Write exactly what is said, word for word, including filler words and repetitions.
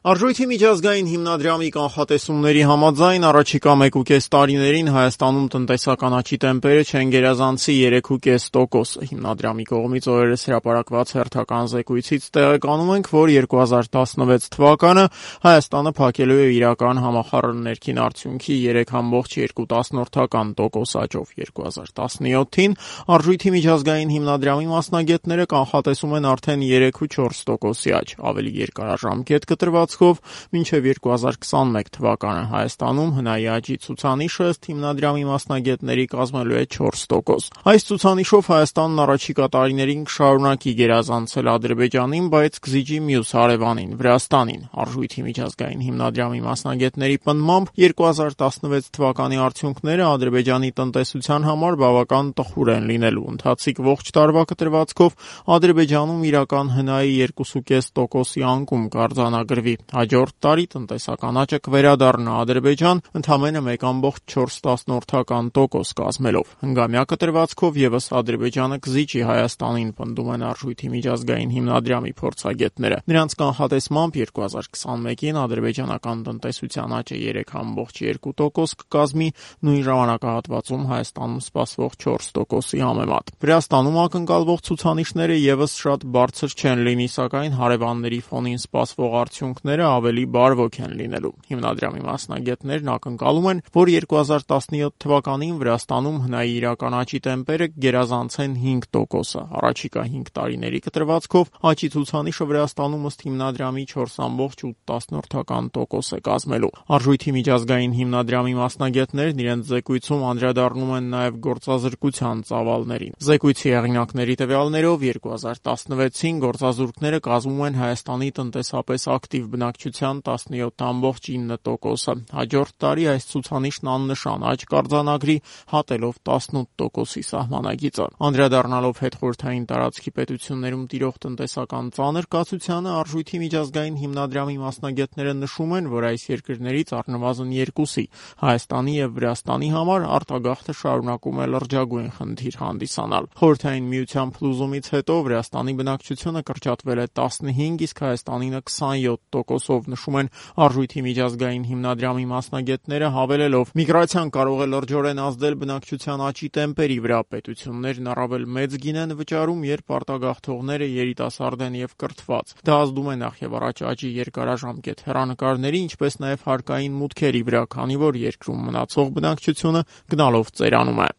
Արժույթի միջազգային հիմնադրամի կանխատեսումների համաձայն առաջիկա մեկուկես տարիներին Հայաստանում տնտեսական աճի տեմպերը չեն գերազանցի երեք ու կես տոկոսը։ Հիմնադրամի կողմից օրերս հրապարակված հերթական զեկույցից տեղեկանում ենք, որ երկու հազար տասնվեց թվականը Հայաստանը փակելու է իրական համախառն ներքին արդյունքի երեք կoma երկու տոկոս աճով։ երկու հազար տասնյոթին Արժույթի միջազգային հիմնադրամի մասնագետները կանխատեսում են արդեն երեք ու չորս տոկոսի աճ։ Ավելի երկարաժամկետ կտրվածքով մինչև երկու հազար քսանմեկ թվականը Հայաստանում հնայի աճի ցուցանիշը ըստ հիմնադրամի մասնագետների կազմելու է չորս տոկոս։ Այս ցուցանիշով Հայաստանն առաջիկա տարիներին կշարունակի գերազանցել Ադրբեջանին, բայց կզիջի մյուս հարևանին՝ Վրաստանին։ Արժույթի միջազգային հիմնադրամի մասնագետների պնդմամբ երկու հազար տասնվեց թվականի արդյունքները Ադրբեջանի տնտեսության համար բավական տխուր են լինելու։ Ընթացիկ ողջ տարվա կտրվածքով Ադրբեջանում իրական հնայի երկու ու կես տոկոսի անկում կարձանագրվի։ Հաջորդ տարի տնտեսական աճը կվերադառնա Ադրբեջան ընդամենը մեկ կoma չորս տոկոս կազմելով։ Հնգամյա կտրվածքով ևս Ադրբեջանը կզիջի Հայաստանին, պնդում են Արժույթի միջազգային հիմնադրամի փորձագետները։ Նրանց կանխատեսմամբ երկու հազար քսանմեկին ադրբեջանական տնտեսության աճը երեք կoma երկու տոկոս կկազմի, նույն ժամանակահատվածում Հայաստանում սպասվող չորս տոկոսի համեմատ։ Վրաստանում ակնկալվող ցուցանիշները ևս շատ բարձր չեն լինի, սակայն հարևանների ֆոնին սպասվող արդյունքները ավելի բարվոք են լինելու։ Հիմնադրամի մասնագետներն ակնկալում են, որ երկու հազար տասնյոթ թվականին Վրաստանում հնայի իրական աճի տեմպերը կգերազանցեն հինգ տոկոսը։ Առաջիկա հինգ տարիների կտրվածքով աճի ցուցանիշը Վրաստանում ըստ հիմնադրամի չորս կoma ութ տոկոս է կազմելու։ Արժույթի միջազգային հիմնադրամի մասնագետներն իրենց զեկույցում անդրադառնում են նաև գործազրկության ծավալներին։ Զեկույցի հեղինակների տվյալներով երկու հազար տասնվեցին գործազուրկները կազմում են Հայաստանի տնտեսապես ակտիվ բնակչության տասնյոթ կoma ինը տոկոսը։ Հաջորդ տարի այս ցուցանիշն աննշան աճ կարձանագրի, հատելով տասնութ տոկոսի սահմանագիծը։ Անդրադառնալով հետխորհրդային տարածքի պետություններում տիրող տնտեսական ծանր կացությանը, Արժույթի միջազգային հիմնադրամի մասնագետները նշում են, որ այս երկրներից առնվազն երկուսի՝ Հայաստանի և Վրաստանի համար արտագաղթը շարունակում է լրջագույն խնդիր հանդիսանալ։ Խորհրդային միության փլուզումից հետո Վրաստանի բնակչությունը կրճատվել է տասնհինգ, իսկ Հայաստանինը քսանյոթ տոկոսով, նշում են Արժույթի միջազգային հիմնադրամի մասնագետները, հավելելով. միգրացիան կարող է լրջորեն ազդել բնակչության աճի տեմպերի վրա։ Պետություններն առավել մեծ գին են վճարում, երբ արտագաղթողները երիտասարդ են և կրթված։ Դա ազդում է նախևառաջ աճի երկարաժամկետ հեռանկարների, ինչպես նաև հարկային մուտքերի վրա, քանի որ երկրում մնացող բնակչությունը գնալով ծերանում է։